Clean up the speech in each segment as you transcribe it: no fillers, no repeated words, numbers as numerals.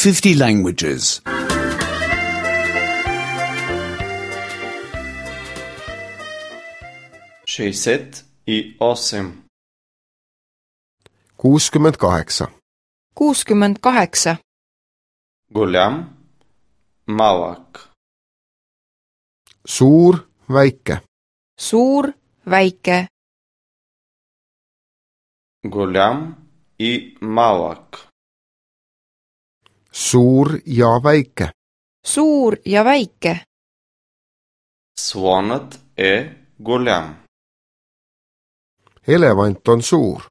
50 languages. 68. 68. 68. Голям, малък. Suur, väike. Suur, väike. Голям и малък. Suur ja väike. Suur ja väike. Слонът е голям. Elevant on suur.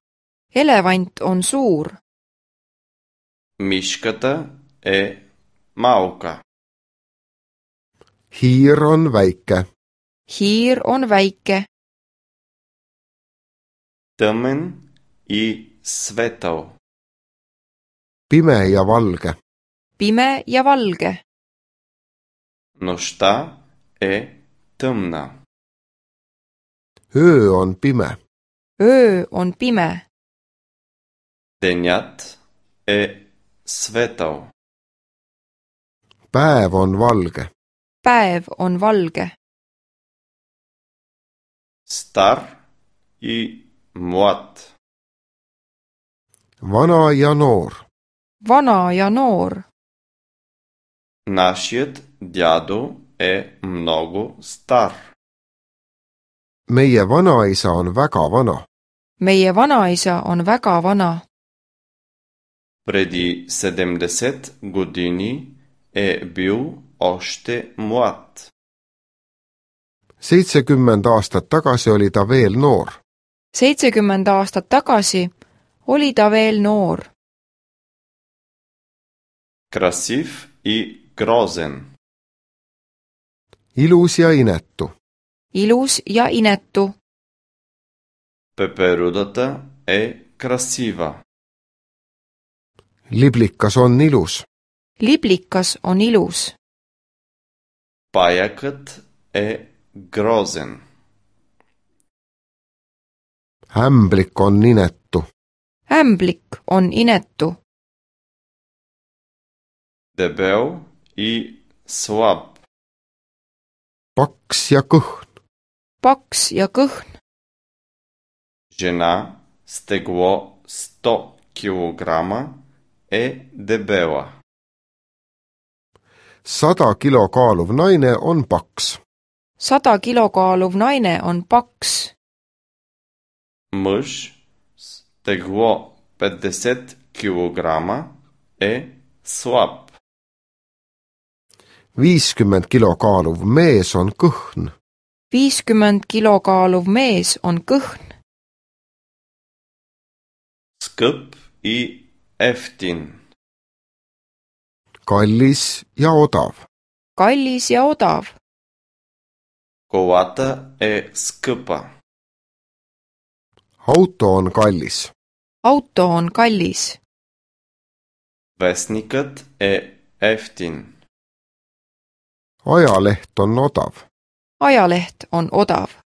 Elevant on suur. Мишката е малка. Hiir on väike. Hiir on väike. Тъмен и светъл. Pime ja valge. Pime ja valge. Нощта е тъмна. Öö on pime. Öö on pime. Денят е светъл. Päev on valge. Päev on valge. Стар и млад. Vana ja noor. Vana ja noor. Нашият дядо е много стар. Meie vanaisa on väga vana. Meie vanaisa on väga vana. Преди 70 години е бил още млад. 70 aastat tagasi oli ta veel noor. 70 aastat tagasi oli ta veel noor. Красив и грозен. Ilus ja inetu. Ilus ja inetu. Пеперудата е красива. Liblikas on ilus. Liblikas on ilus. Паякът е грозен. Ämblik on inetu. Ämblik on inetu. Дебел и слаб. Paks ja kõhn. Paks ja kõhn. Жена с тегло 100 килограма е дебела. 100 kilo kaaluv naine on paks. 100 kilo kaaluv naine on paks. Мъж с тегло 50 килограма е слаб. 50 kilo kaaluv mees on kõhn. 50 kilo kaaluv mees on kõhn. Скъп и ефтин. Kallis ja odav. Kallis ja odav. Колата е скъпа. Auto on kallis. Auto on kallis. Вестникът е ефтин. Ajaleht on odav. Ajaleht on odav.